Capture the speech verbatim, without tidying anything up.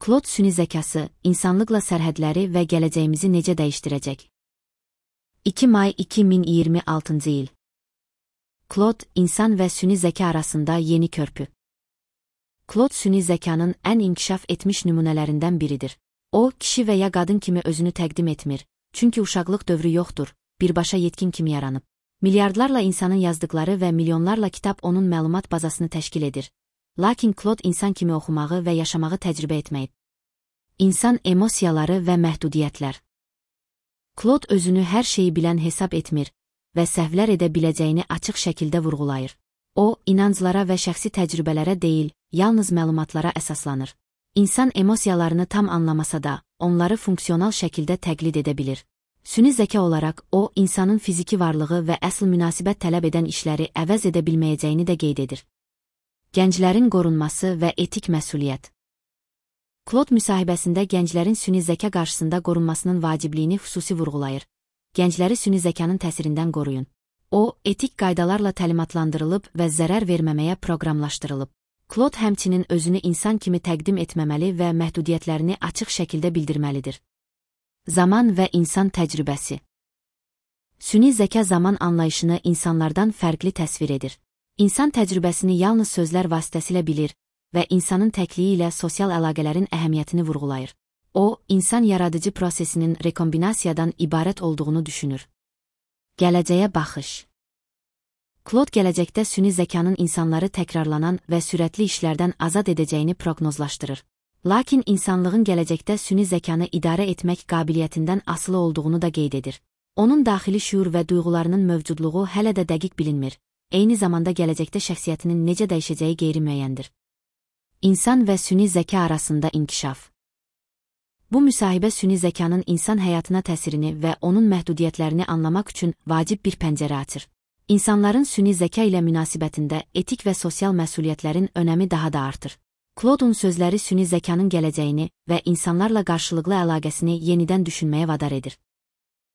Claude süni zəkası, insanlıqla sərhədləri və gələcəyimizi necə dəyişdirəcək? iki may iki min iyirmi altıncı il. Claude, insan və süni zəka arasında yeni körpü. Claude süni zəkanın ən inkişaf etmiş nümunələrindən biridir. O, kişi və ya qadın kimi özünü təqdim etmir, çünki uşaqlıq dövrü yoxdur, birbaşa yetkin kimi yaranıb. Milyardlarla insanın yazdıqları və milyonlarla kitab onun məlumat bazasını təşkil edir. Lakin Claude insan kimi oxumağı və yaşamağı təcrübə etməyib. İnsan emosiyaları və məhdudiyyətlər. Claude özünü hər şeyi bilən hesab etmir və səhvlər edə biləcəyini açıq şəkildə vurğulayır. O, inanclara və şəxsi təcrübələrə deyil, yalnız məlumatlara əsaslanır. İnsan emosiyalarını tam anlamasa da, onları funksional şəkildə təqlid edə bilir. Süni zəka olaraq, o, insanın fiziki varlığı və əsl münasibət tələb edən işləri əvəz edə bilməyəcəyini də qeyd edir. Gənclərin qorunması və etik məsuliyyət. Claude müsahibəsində gənclərin süni zəka qarşısında qorunmasının vacibliyini xüsusi vurğulayır. Gəncləri süni zəkanın təsirindən qoruyun. O, etik qaydalarla təlimatlandırılıb və zərər verməməyə proqramlaşdırılıb. Claude həmçinin özünü insan kimi təqdim etməməli və məhdudiyyətlərini açıq şəkildə bildirməlidir. Zaman və insan təcrübəsi. Süni zəka zaman anlayışını insanlardan fərqli təsvir edir. İnsan təcrübəsini yalnız sözlər vasitəsilə bilir və insanın təkliyi ilə sosial əlaqələrin əhəmiyyətini vurğulayır. O, insan yaradıcı prosesinin rekombinasiyadan ibarət olduğunu düşünür. Gələcəyə baxış. Claude gələcəkdə süni zəkanın insanları təkrarlanan və sürətli işlərdən azad edəcəyini proqnozlaşdırır. Lakin insanlığın gələcəkdə süni zəkanı idarə etmək qabiliyyətindən asılı olduğunu da qeyd edir. Onun daxili şüur və duyğularının mövcudluğu hələ də dəqiq bilinmir. Eyni zamanda gələcəkdə şəxsiyyətinin necə dəyişəcəyi qeyri-müəyyəndir. İnsan və süni zəka arasında inkişaf. Bu müsahibə süni zəkanın insan həyatına təsirini və onun məhdudiyyətlərini anlamaq üçün vacib bir pəncərə açır. İnsanların süni zəka ilə münasibətində etik və sosial məsuliyyətlərin önəmi daha da artır. Claude'un sözləri süni zəkanın gələcəyini və insanlarla qarşılıqlı əlaqəsini yenidən düşünməyə vadar edir.